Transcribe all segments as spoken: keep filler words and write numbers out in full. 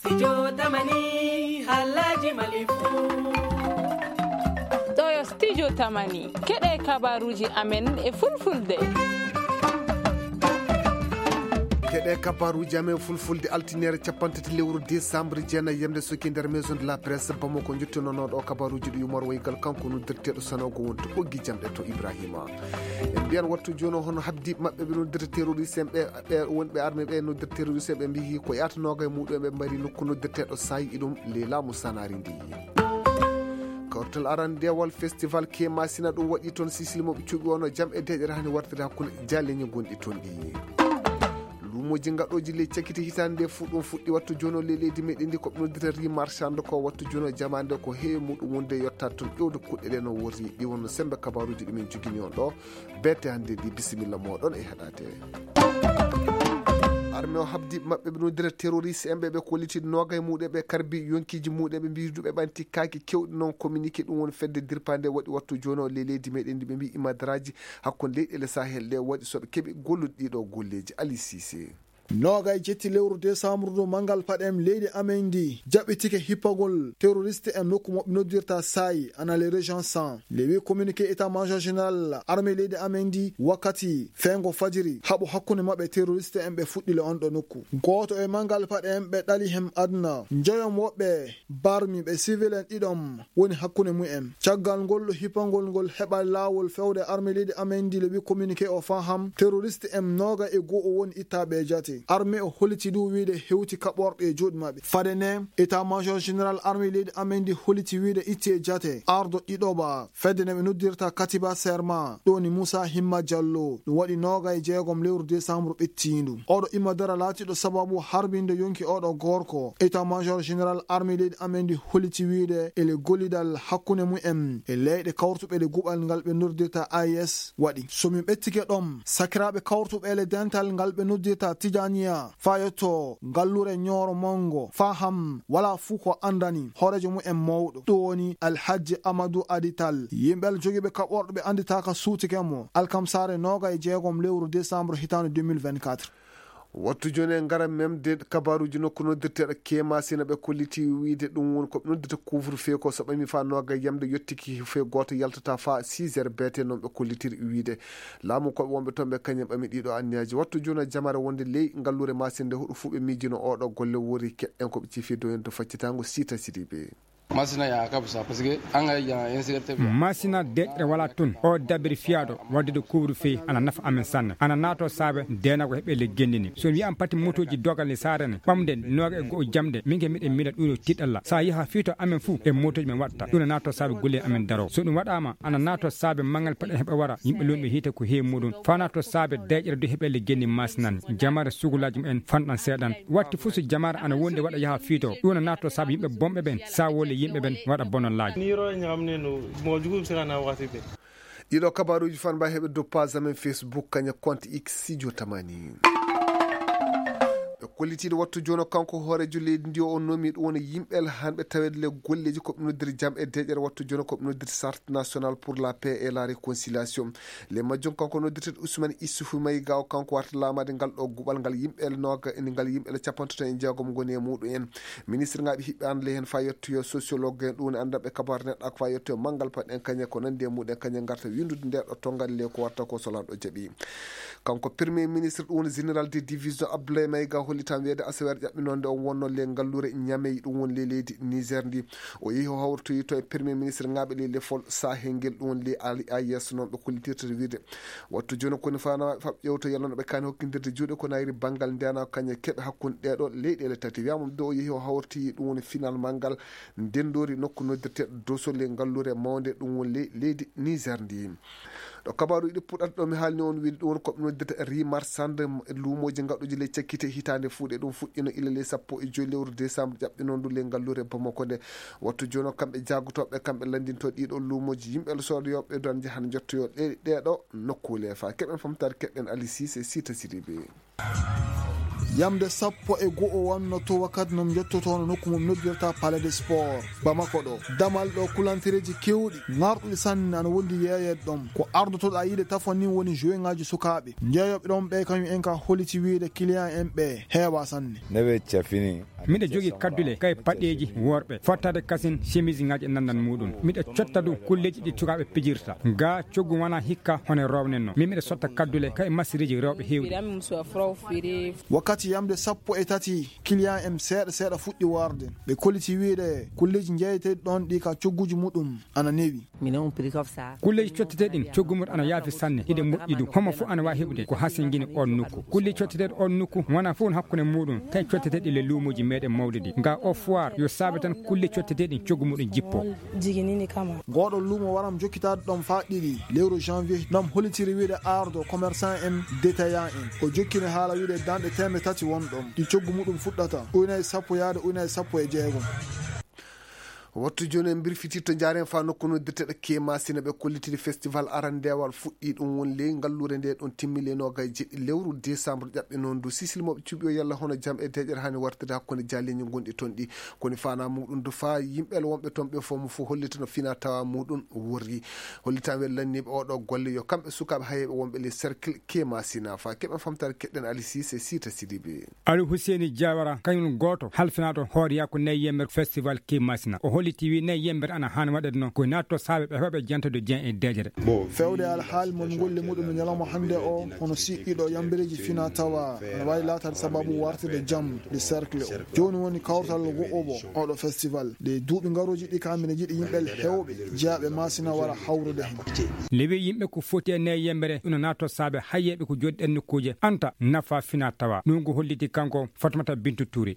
Studio Tamani, halaji Mali fu. Ɗo yo Studio Tamani, keɗe kabaruji amen e fulfulde. Keɗe kabaruji amen fulfulde, altinere capanɗe tati lewru décembre, jeenayi yamde soki nder Maison de la Presse Bamako. Jottinooɗo kabaruji ɗi Umar Waygal, kanko noddirteeɗo sanoogo wonto ɓoggi jamɗe to Ibrahima. En mbiyan wattu jooni o, hono habdi maɓɓe ɓe noddirta terroriste en ɓe, ɓe wonɓe armée ɓe noddirta terroriste en, ɓe mbiyi ko yaata nooga e muɗum en ɓe mbari nokku noddirteeɗo Sayi, iɗum le laamu Sanari ndi. Kawtal arandewal festival Kemasina ɗum waɗi toon Sisili mo ɓe cuɓi wonno jam e deƴere hani wartiri hakkunde jaleñi gonɗi toon ɗi. Luumoji gaɗooji ley cakite hitaande nde fu ɗum fuɗɗi wattu jooni o ley leydi meɗen ndi ko ɓe noddita ri marchande ko wattu jooni o jamaande ko heewi muɗum wonde yottaade toon ƴewde kuɗɗe ɗe no worri ɗi wonno sembe kabaruji ɗumen jogini on ɗo. Bete hannde ndi bisimilla moɗon e heɗade. Arme o habdi maɓɓe ɓe noddira terroriste en ɓe ɓe kolliti noga e muɗum ɓe karbi yonkiji muɗum ɓe mbiduɓe ɓanti kaki kewɗi noon communiqué ɗum woni fedde dirpande waɗi wattu jooni o ley leydi meɗen ndi ɓe mbi imadraji hakkunde leyɗele sahel ɗe waɗi soɓe keɓi gollude ɗiɗo golleji. Ali Sise. Noga e jetti lewru décembre ndu mangal paɗe em leydi amen ndi jaɓɓitike hippagol terroriste en nokku moɓe noddirta Sayi ana le région cent le wi communiqué état major général armée leydi amen ndi wakkati fengo fajiri haɓo hakkunde maɓɓe terroriste en ɓe fuɗɗile on ɗo nokku. Gooto e mangal paɗe en ɓe ɗali hem aduna njoyom woɓɓe barmi ɓe civil en ɗiɗom woni hakkunde mumen. Caggal ngol hippangol ngol heɓa laawol fewde arme leydi amen ndi le wi communiqué o faham terroriste en noga e goo o woni ittaɓe e jate arme o holiti ɗum wiide hewti kaɓorɗe e juuɗe maɓɓe. Fade ne état major général arme leydi amen ndi holiti wiide itti e jate ardo ɗiɗoɓa fedde nde ɓe noddirta katiba serma ɗo ni moussa himma diallo ɗum waɗi noga e jeegom lewru décembre ɓettindu. Oɗo imma dara laatiɗo sababu harbinde yonki oɗo gorko état major général armée leydi amen ndi holiti wiide ele gollidal hakkunde mumen e leyɗe kawrutuɓe ɗe guɓal ngal ɓe noddirta ais waɗi. So min ɓettike ɗom sakiraaɓe kawrutuɓe ele dental ngal ɓe noddirta tijaniya fayotto ngallure ñooro mango faham wala fuu ko andani hoorejo mumen mawɗo ɗum woni alhajji amadou adital yimɓe al jogiiɓe kaɓorɗo ɓe anditaka suutike mo alkamsare noga e jeegom lewru décembre hitaande deux mille vingt-quatre. Wattu jooni en ngara memde kabaruuji nokku noddirteeɗo Kemasina ɓe kolliti wiide ɗum woni ko ɓe noddirta couvre feu ko so ɓami faa nooga yamde yottiki feu gooto yaltata faa six heures beete noon ɓe kollitiri wiide laamu koɓe wonɓe toon ɓe kañum ɓami ɗiɗo anniyaaji. Wattu jooni jamare wonde ley ngalluure Masina nde huɗo fuu ɓe miijino oɗo golle wori keɗɗen ko ɓe cifi doyen to faccitaango Sita Sidibe. Masina ya kabisa parce que an ga ya insécurité bi. Masina deƴre wala tun o dabiri fiyaɗo waddude couvre feu ana nafa amen sanne ana nato saabe dena ko heɓe le gendini so mi an pati motoji dogal ni sarene ɓamde noga e go'o jamde min ke miɗen mila ɗuɗo tiɗalla sa yaha fito amen fuu e motoji men waɗta ɗum nato saabe golle amen daro so ɗum waɗama ana nato saabe mangal paɗe heɓe wara yimɓe lumɓe hiite ko heewi muɗum fa nato saabe deƴre du heɓe le gendi masinan jamare sugulaji mumen fanɗan seeɗan watti fuu so jamare ana wondi waɗa yaha fito ɗum nato saabe yimɓe bomɓe ɓen sa wole yimɓe ɓen waɗa bonallaaji. Ni yoro ñamne no mo jugum sirana wakati ɓe. Ɗiɗo kabaruuji fan mba heɓe doppage amen Facebook kaña compte X studio tamani. Ɓe kollitiiɗo wattu jono kanko hoorejo leydi ndi o nomi ɗum woni yimɓe hanɓe taweede le golleji ko ɓe noddiri jam e deƴere wattu jono ko ɓe noddiri charte national pour la paix et la réconciliation. Le majjum kanko noddirteeɗo Ousmane Issoufou Maïga o kanko warta laamaade ngal ɗo guɓal ngal yimɓe noga ngal yimɓe capantato e jeegom ngoni e muɗum en. Ministre ngaɓe hiɓɓe an le hen fa yettoyo sociologue en ɗum woni anndanɓe kabaru neɗɗo ak fa yettoyo manngal paɗɗen kañe ko nanndi e muɗen kañe ngarta winndude nde ɗo tongal le ko watta ko so lanɗo jaɓi. Kanko premier ministre ɗum woni général de division Abdoulaye Maïga hollitan weede asaweere ƴaɓɓinonde on wonno le ngalluure ñamey ɗum woni le leydi Niger ndi. O yehi o hawritoyi to e premier ministre ngaɓe le lefol sahel ngel ɗum woni le ali a yesso noon ɓe kollitirta wiide wattu jooni koni fana faɓ ƴewto yalano ɓe kani hokkindirde juuɗe ko nayri banngal ndena kañe keɓe hakkunde ɗeɗo leyɗele tati wiyama ɗo o yehi o hawritoyi ɗum woni final manngal ndendori nokku noddirteɗo dosole ngalluure mawnde ɗum woni le leydi Niger ndi. Ɗo kabaruji ɗi puɗɗata ɗo mi haalni on wiide ɗum woni koɓe noddirta ri marsande luumoji gaɗuji ley cakkite hitande fuuɗe ɗum fuɗɗino ila ley sappo e joyi lewru décembre ƴaɓɓinondu ley ngalluure Bamako nde. Wattu jono kamɓe jagotoɓe kamɓe landinto ɗiɗo luumoji yimɓe sodoyoɓe don jahana jottoyo ɗe ɗeɗo nokkule fa keɓen famtare keɓen Ali Sise Sita Sidibe. Yamde sappo e go'o wonno to wakkati no mi jottoto hono nokku mo mi noddirta Palais des Sports Bamako ɗo. Damal ɗo kulantereeji keewɗi ŋarɗuɗi sanne ana wondi yeeyeede ɗon. Ko ardotoɗaa yiide tafon nin woni joweŋaaji sukaaɓe. Jeeyooɓe ɗon ɓe kañum en ka holliti wiide kiliyan en ɓe heewaa sanne. Newe cafini. Miɗo jogii kaddule kay paɗeeji worɓe. Fottaade kasin semiisiŋaaji e nandan muuɗum. Miɗo cotta du kulleeji ɗi sukaaɓe pijirta. Gaa coggu wanaa hikka hono rownen no. Min miɗo sotta kaddule kay masiriiji rewɓe heewɗi. Wakkati yamde sappo e tati, kiliyan en seeɗa seeɗa fuɗɗi warde. Ɓe kolliti wiide kulleeji jeeyeteeɗi ɗon ɗi ka cogguuji muɗum ana newi. Kulleeji cotteteeɗi ɗin coggu muɗum ana yaafi sanne, hiɗe moƴƴi du. Homo fof ana waawi heɓude ko hasingini oon nokku. Kulleeji cotteteeɗi oon nokku wonaa fof no hakkunde muɗum kay cotteteeɗi le luumooji meɗen mawɗi ɗi. Nga o foire yo saabe tan kulleeji cotteteeɗi ɗin coggu muɗum jippo. Ngoɗo luumo waram jokkitaade ɗon faa ɗiɗi lewru janvier, nam hollitiri wiide ardo commerçant en, détaillant en. O jokkini haala wiide danɗe teemeɗɗe tati won ɗon, ɗi coggu muɗum fuɗɗata ujunere sappo yaade ujunere sappo e jeegom. Wattu jooni en mbirfitirto njaaren faa nokku noddirteɗo Kemasina ɓe kollitiri festival arandeewal fuɗɗi ɗum woni ley ngalluure nde ɗon timmi ley noogay jeɗɗi lewru décembre ƴaɓɓe noon du sisilmooɓe cuuɓi o yalla hono jam e deeƴere hani wartirde hakkunde jaaliiji gonɗi toon ɗi. Koni faanaa muɗum du faa yimɓe wonɓe toon ɓe fof mo fof hollita no fina tawa muɗum worri. Hollitan wen lanniiɓe oɗo golle yo kamɓe sukaaɓe hayeeɓe wonɓe ley cercle Kemasina faa keɓen famtaade keɗɗen Alisi se siita sidiɓe. Aliou Husseini Jawara, kañum gooto halfinaaɗo hooreyaaku nayi yemmbere festival Kemasina. O holliti wi nayi yemmbere ana haani waɗeede noon ko naatto saabe ɓe heɓa ɓe jantode Dieng e deeƴere. Fewde alhaali mon golle muɗum e ñalawma hannde o, hono siɗɗiɗo yambereeji fina tawa ana waawi laataade sababu wartirde jam de cercle o. Jooni woni kawtal wo'obo oɗo festival. Ɗe duuɓi ngarooji ɗi kam mine jiɗi yimɓe heewɓe jeyaaɓe Masina wara hawrude heen. Lewi yimɓe ko foti e nayi yemmbere ina naatto saabe hayyeeɓe ko jooɗi ɗen nokkuuje anta nafa fina tawa. Ɗum ko holliti kanko Fatmata Bintu Tuuri.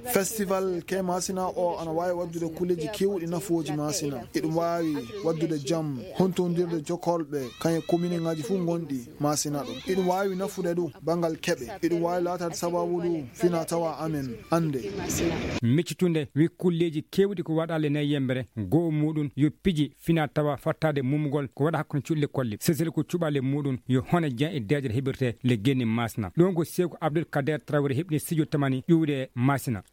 Festival Kemasina o ana waawi waddude kulleeji keewɗi nafooji Masina. Eɗum waawi waddude jam, hontondirde jokkolɓe, kañe komineŋaaji fof ngonɗi Masina ɗo. Eɗum waawi nafude du banngal keɓe. Eɗum waawi laataade sababu du fina tawa amen annde. Miccitunde wi kulleeji keewɗi ko waɗaa le nayi yemmbere, goo muɗum yo piji fina tawa fattaade mumugol ko waɗa hakkunde cuɗi lekkol ɗi. Sesel ko cuɓaale muɗum yo hone jan e deeƴere heɓirte le genni Masina. Ɗum ko Seeku Abdul Kader Traoré heɓni studio tamani ƴuwde Masina.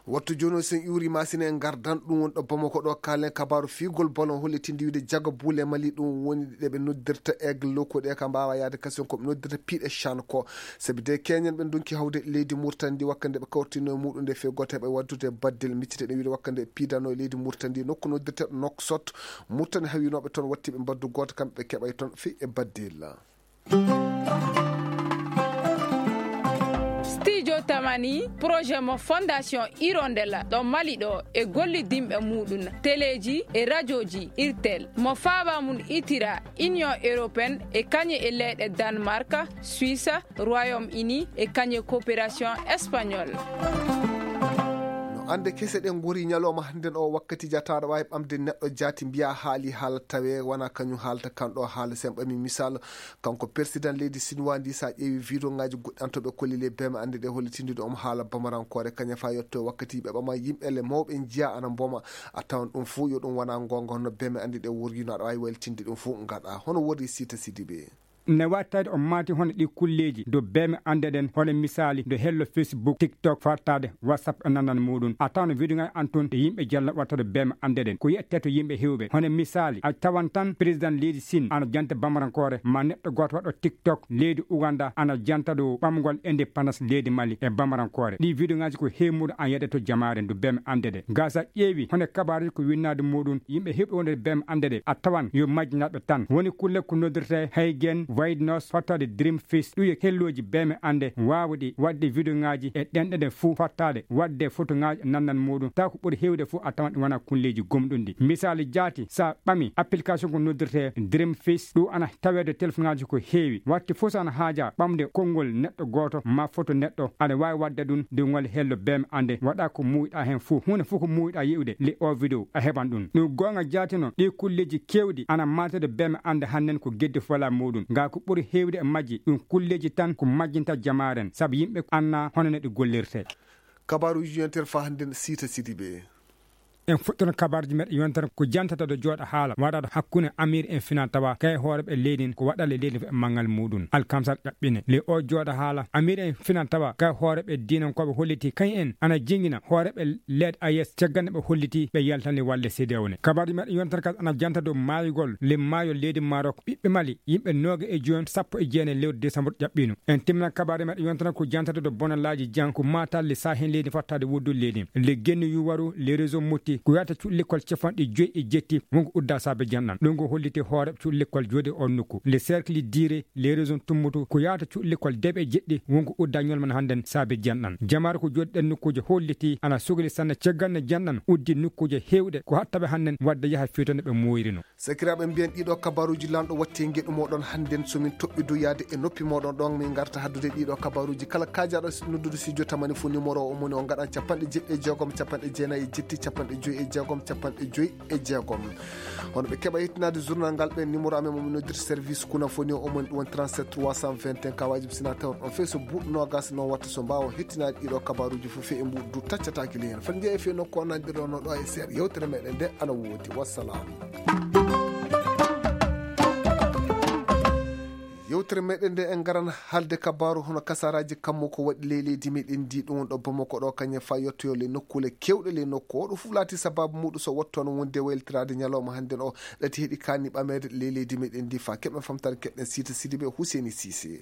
Wattu jooni o sen ƴuuri Masina e ngardan ɗum woni ɗo Bamako ɗo kaalen kabaaru fiigol bolon hollitinde wiide jaga buule Mali ɗum woni ɗe ɓe noddirta aigle loko ɗe ka mbaawa yaade kasen ko ɓe noddirta piiɗe chan ko. Sabi de keñen ɓe ndonki hawde leydi Murtani ndi wakkande ɓe kawrtino e muɗum nde fee gooto heɓa waddude baddel miccite ɗe wiide wakkande piidano e leydi Murtani ndi nokku noddirteɗo Noksot. Murtani hawinooɓe toon watti ɓe mbaddu gooto kamɓe ɓe keɓay toon fii e baddel. Studio Tamani, projet mo Fondation Hirondella ɗo Mali ɗo e gollidinɓe muɗum, teleeji e rajooji Irtel, mo faaba mum itira Union Européenne e kañe e leyɗe Danemark, Suisse, Royaume Uni e kañe coopération espagnole. No annde kese ɗen ngori ñalawma hannden o wakkati jataɗo waawi ɓamde neɗɗo jaati mbiya haali haala tawe wona kañum haalta kan ɗo haala sen ɓami misal. Kanko persidan leydi sinwaa ndi sa ƴeewi videoŋaaji goɗɗi an to ɓe kolli le beeme annde ɗe hollitinde ɗo omo haala bamarankoore kañum fa yetto wakkati ɓe ɓama yimɓe le mawɓe njiya ana mboma a tawan ɗum fuu yo ɗum wona ngonga hono beeme annde ɗe worgino aɗa waawi wallitinde ɗum fuu ngaɗa hono worri siita sidibe. Ne wattayde o maati hono ɗi kulleeji do beeme annde ɗen hono misaali do hello Facebook, TikTok fartaade WhatsApp e nanan muɗum a tawno video ngal an tun e yimɓe jalla wattata beeme annde ɗen ko yette to yimɓe hewɓe hono misaali a tawan tan président leydi Sine ana janta bamarankoore ma neɗɗo gooto waɗɗo TikTok leydi Uganda ana janta dow ɓamgol indépendance leydi Mali e bamarankoore ɗi video ngaji ko hewmuɗo an yedde to jamaare ndu beeme annde ɗe gasa ƴeewi hono kabaruji ko winnaade muɗum yimɓe hewɓe wonde beeme annde ɗe a tawan yo majjinaɓe tan woni kulle ko noddirte haygen waynos fattade dream fis ɗum yo helloji beeme annde waawuɗi waɗde video ngaji e ɗenɗe ɗe fuu fattaade waɗde foto ngaji e nannan muɗum taw ko ɓuri hewde fuu a tawan ɗum wona kulleji gomɗunɗi misaali jaati sa ɓami application ko noddirte dream fis ɗum ana taweede téléphone ngaji ko heewi watti fof so ana haaja ɓamde konngol neɗɗo gooto ma foto neɗɗo aɗa waawi waɗde ɗum nde ngol hello beeme annde waɗa ko muuyiɗa heen fuu huunde fof ko muuyiɗa yi'ude le o video a heɓan ɗum ɗum goonga jaatino ɗi kulleeji keewɗi ana maatede beeme annde hannden ko geddi fola muɗum ngaa ko ɓuri heewde e majji ɗum kulleeji tan ko majjinta jamaaren sabu yimɓe anna hono no ɗi gollirte kabaaruuji yontere faa hannden siita sidiɓe En fuɗɗono kabaruuji meɗen yontere ko jantata ɗo jooɗa haala waɗaɗo hakkunde amir en fina tawa kay hooreɓe leydi ko waɗale leydi e manngal muɗum. Alkamsal ƴaɓɓine le o jooɗa haala amir en fina tawa kay hooreɓe diinankoɓe holliti kay en ana jingina hooreɓe leɗɗe ayes cagganɗe ɓe holliti ɓe yaltani walle sedewo ne. Kabaruuji meɗen yontere kadi ana janta dow maayugol le maayo leydi marok ɓiɓɓe mali yimɓe nooga e jooni sappo e jeenayi lewru décembre ƴaɓɓino. En timmina kabaruuji meɗen yontere ko jantata dow bonalaaji jan ko matal le sahen leydi fottade wuddu leydi le genni yuwaru le réseau motti ko yata cuɗi lekkol capanɗe joyi e jetti wonko udda saabe janɗan ɗum ko holliti hoore cuɗi lekkol jooɗi on nokku le cercle dire les régions tummutu ko yahata cuɗi lekkol deeɓe jeɗɗi wonko udda ñolman hannden saabe janɗan. Jamaare ko jooɗi ɗen nokkuuje holliti ana sogli sanne caggal ne janɗan uddi nokkuuje heewɗe ko hattaɓe hannden wadde yaha fewtande ɓe mooyrino. Sakiraaɓe mbiyen ɗiɗo kabaruuji lanɗo watti e ngeɗu moɗon hannden so min toɓɓidu yaade e noppi moɗon ɗon min garta haddude ɗiɗo kabaruuji kala kaajaɗo noddude studio tamani fo numéro o moni o ngaɗan capanɗe jeɗɗi e jeegom capanɗe jeenayi e jetti capanɗe joyi e jeegom capanɗe joyi e jeegom. Hono ɓe keɓa yettinaade journal ngal ɓe numéro amen momi noddirta service kuna foni o omoni ɗum woni trente-sept trois cent vingt et un kawaji mi sina tawon on fey so buuɗu nogas noon watta so mbaawa hettinaade ɗiɗo kabaruuji fof fey e mbuuɗu du taccataaki ley heen fati njeeya fey nokku o nanɗirɗo no ɗo e seeɗa yewtere meɗen nde ana woodi wassalam. Yewtere meɗen nde en ngaran haalde kabaaru hono kasaraaji kammu ko waɗi ley leydi meɗen ndi ɗum woni ɗo bamako ɗo kañum e fa yettoyo ley nokkuule kewɗe ley nokku oɗo fof laati sababu muɗum so wattu hono wonde waylitiraade ñalawma hannden o ɗati heɗi kaani ɓameede ley leydi meɗen ndi fa keɓen famtaade keɗen siita sidiɓe huseni sise.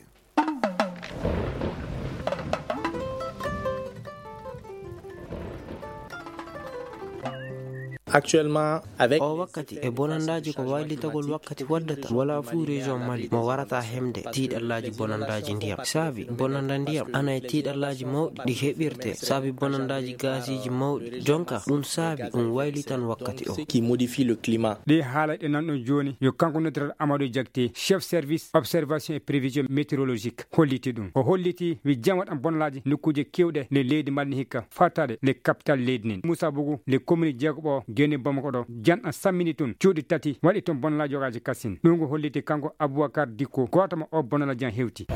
Actuellement avec o wakkati e bonandaaji ko waylitagol wakkati waddata wala fuu région mali mo warata hemde tiiɗallaaji bonandaaji ndiyam saabi bonanda ndiyam ana e tiiɗallaaji mawɗi ɗi heɓirte saabi bonandaaji gaasiiji mawɗi jonka ɗum saabi ɗum waylitan wakkati o qui modifie le climat. Ɗi haala ɗe nanɗon jooni yo kanko noddirata amadou diakte chef service observation et prévision météorologique holliti ɗum o holliti wi jam waɗan bonalaaji nokkuuje kewɗe nde leydi malni hikka fattaade le capital leydi nin moussa bougou le commune jeegoɓo geni bamako ɗo janɗan sammini toon cuuɗi tati waɗi toon bonalaaji yogaji kassin ɗum ko holliti kanko aboubacar dikko goto ma o bonalaaji an hewti.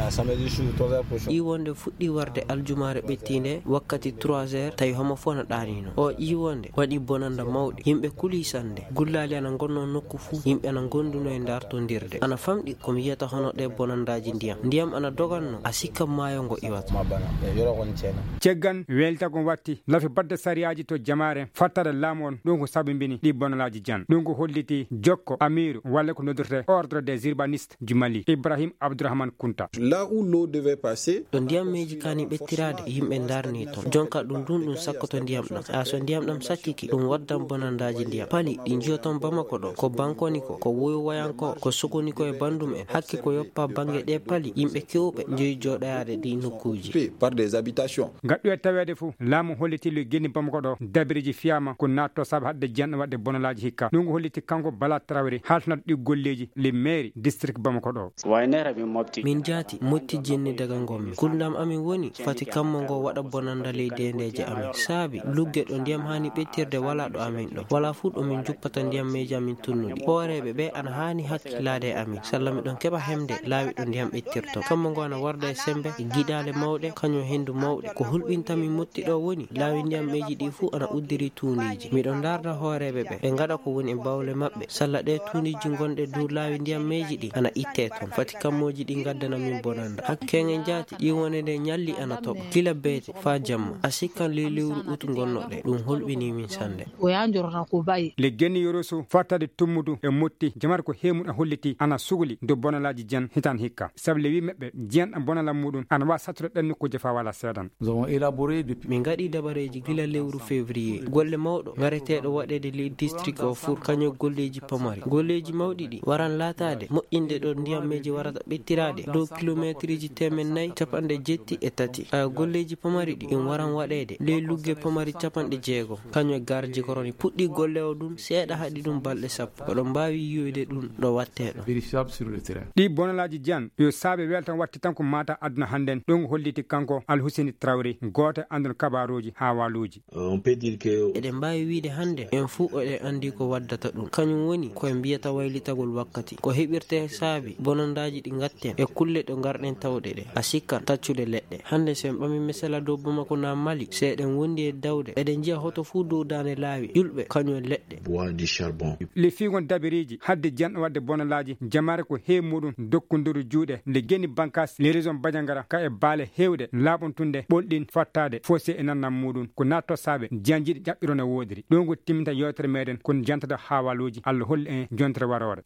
Ɗi wonde fuɗɗi warde aljumaare ɓettiinde wakkati trois heures tawi homo fof no ɗaanino o ƴii wonde waɗi bonanda mawɗi yimɓe kuli sannde gullaali ana ngonnoo nokku fuu yimɓe ana ngonduno e ndartondirde ana famɗi ko mi yiyata hono ɗe bonandaaji ndiyam ndiyam ana doganno a sikka maayo ngo iwata. Ceggan weltago watti lafi badde sariyaaji to jamaare fattare laamu on ɗum ko sabibini ɗi bonalaaji jan ɗum ko holliti jokko amiiru walla ko noddirte ordre des urbanistes du mali ibrahim abdourahmane kunta. Là où l'eau devait passer. Ɗo ndiyammeeji kaani ɓettiraade yimɓe ndarni toon jonka ɗum ndun ɗum sakkoto ndiyam ɗam a so ndiyam ɗam sakkiki ɗum waddan bonandaaji ndiyam pali ɗi njiyoton bamako ɗo ko bankoni ko ko woyowayanko ko sokoni ko e bandum en hakke ko yoppa bange ɗe pali yimɓe kewɓe njoyi jooɗoyaade ɗi nokkuuji. Par des habitations. Ngaddu e taweede fof laamu holliti le geni bamako ɗo dabireji fiyama ko natto saabe hadde janɗo waɗde bonalaaji hikka ɗum ko holliti kanko bala trawri haltanat ɗi golleeji le mairie district bamako ɗo. Min jaati motti jinni daga ngonmi kulnam amin woni fati kammo ngo waɗa bonanda ley dendeeje amin saabi lugge ɗo ndiyam haani ɓettirde wala ɗo amin ɗo wala fuu ɗo min juppata ndiyammeeji amin tunnuɗi hooreeɓe ɓe ana haani hakkillaade e amin salla miɗon keɓa hemde laawi ɗo ndiyam ɓettirto kammo ngo ana warda e sembe e giɗaale mawɗe kañum henndu mawɗe ko hulɓinta min motti ɗo woni laawi ndiyammeeji ɗi fuu ana uddiri tuundiiji miɗo ndaarda hooreeɓe ɓe ɓe ngaɗa ko woni e bawle maɓɓe salla ɗe tuundiiji ngonɗe dow laawi ndiyammeeji ɗi ana itte toon fati kammooji ɗi ngaddana min bonanda hakkenge njaati ƴiwonde nde ñalli ana toɓa gila beete faa jamma a sikkan ley lewru ut ngonnoɗe ɗum hulɓini min sannde. Le genni yoroso fattade tummudu e motti jamar ko hemum a holliti ana sugli dow bonalaaji jan hitan hikka sabu le wi meɓɓe jiyanɗa bonala muɗum ana wa sattude ɗen nokkuuje fa wala seedan. Min ngaɗi dabareeji gila lewru février golle mawɗo ngareteeɗo waɗeede ley district o fur kañum golleeji pamari golleeji mawɗi ɗi waran laataade moƴƴinde ɗo ndiyammeeji warata ɓettiraade dow kilomeetriji temen nayi capanɗe jetti e tati golleeji pamari ɗi ɗum waran waɗeede ley lugge pamari capanɗe jeego kañum e garji koroni puɗɗi golle o ɗum seeɗa haɗi ɗum balɗe sappo oɗon mbaawi yiyoyde ɗum ɗo wattee ɗo. Ɗi bonalaaji jan yo saabe weltan watti tan ko mata aduna hannden ɗum holliti kanko alhuseni trawri gooto e anndon kabaruuji haa waaluuji. Eɗen mbaawi wiyde hannde En fuu eɗen anndi ko waddata ɗum. Kañum woni ko en mbiyata waylitagol wakkati. Ko heɓirtee saabi bonandaaji ɗi ngatten e kulle ɗo ngarɗen tawɗe ɗe. A sikkan taccude leɗɗe. Hannde so en ɓami misala dow Bamako naa Mali, so eɗen wondi e dawde, eɗen njiya hoto fuu dow daande laawi, ƴulɓe, kañum e leɗɗe. Bois du charbon. Le fiigon dabiriiji hadde jiyan waɗde bonalaaji jamaare ko heewi muɗum dokkonduru juuɗe nde geni bankas le région Badiangara ka e baale heewɗe laaɓontunde ɓolɗin fattaade fossé e nannam muɗum ko naa tossaaɓe jiyanjiiɗi ƴaɓɓiro no woodiri. Ɗo ngo timminta yewtere meɗen kon jantada haawaaluuji. Allah holli en jontere waroore.